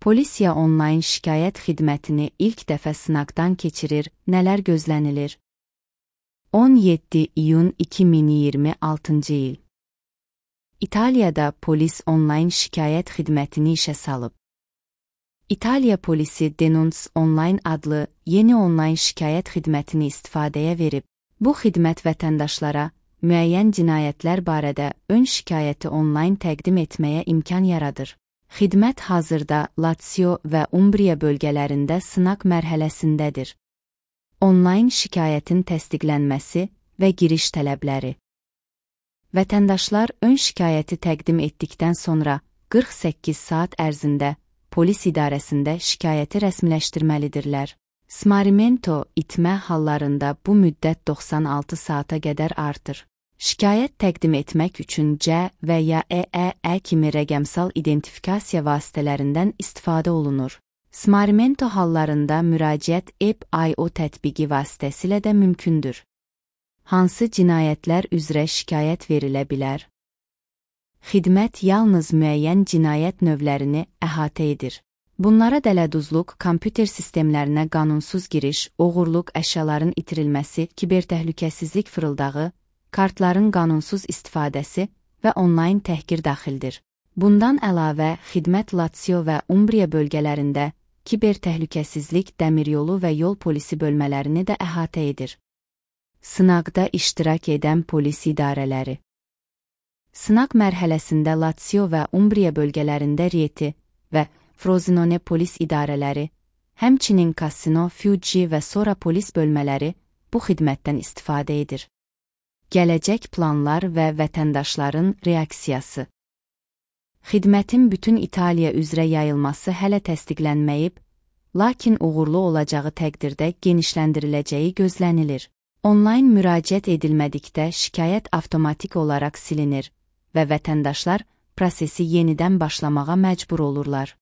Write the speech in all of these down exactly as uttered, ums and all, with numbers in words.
Polisiya onlayn şikayət xidmətini ilk dəfə sınaqdan keçirir, nələr gözlənilir? on yeddi iyun iki min iyirmi altıncı il. İtaliyada polis onlayn şikayət xidmətini işə salıb. İtaliya polisi Denunce Online adlı yeni onlayn şikayət xidmətini istifadəyə verib. Bu xidmət vətəndaşlara müəyyən cinayətlər barədə ön şikayəti onlayn təqdim etməyə imkan yaradır. Xidmət hazırda Lazio və Umbria bölgələrində sınaq mərhələsindədir. Onlayn şikayətin təsdiqlənməsi və giriş tələbləri. Vətəndaşlar ön şikayəti təqdim etdikdən sonra qırx səkkiz saat ərzində polis idarəsində şikayəti rəsmiləşdirməlidirlər. Smarrimento itmə hallarında bu müddət doxsan altı saata qədər artır. Şikayət təqdim etmək üçün C və ya E E E kimi rəqəmsal identifikasiya vasitələrindən istifadə olunur. Smarrimento hallarında müraciət App i o tətbiqi vasitəsilə də mümkündür. Hansı cinayətlər üzrə şikayət verilə bilər? Xidmət yalnız müəyyən cinayət növlərini əhatə edir. Bunlara dələduzluq, kompüter sistemlərinə qanunsuz giriş, oğurluq, əşyaların itirilməsi, kibertəhlükəsizlik fırıldağı, kartların qanunsuz istifadəsi və onlayn təhqir daxildir. Bundan əlavə, xidmət Lazio və Umbria bölgələrində kibertəhlükəsizlik, dəmiryolu və yol polisi bölmələrini də əhatə edir. Sınaqda iştirak edən polis idarələri. Sınaq mərhələsində Lazio və Umbria bölgələrində Rieti və Frosinone polis idarələri, həmçinin Cassino, Fiuggi və Sora polis bölmələri bu xidmətdən istifadə edir. Gələcək planlar və vətəndaşların reaksiyası. Xidmətin bütün İtaliya üzrə yayılması hələ təsdiqlənməyib, lakin uğurlu olacağı təqdirdə genişləndiriləcəyi gözlənilir. Onlayn müraciət edilmədikdə şikayət avtomatik olaraq silinir və vətəndaşlar prosesi yenidən başlamağa məcbur olurlar.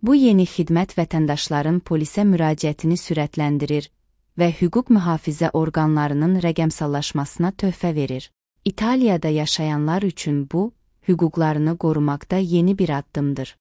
Bu yeni xidmət vətəndaşların polisə müraciətini sürətləndirir və hüquq mühafizə orqanlarının rəqəmsallaşmasına töhfə verir. İtaliyada yaşayanlar üçün bu, hüquqlarını qorumaqda yeni bir addımdır.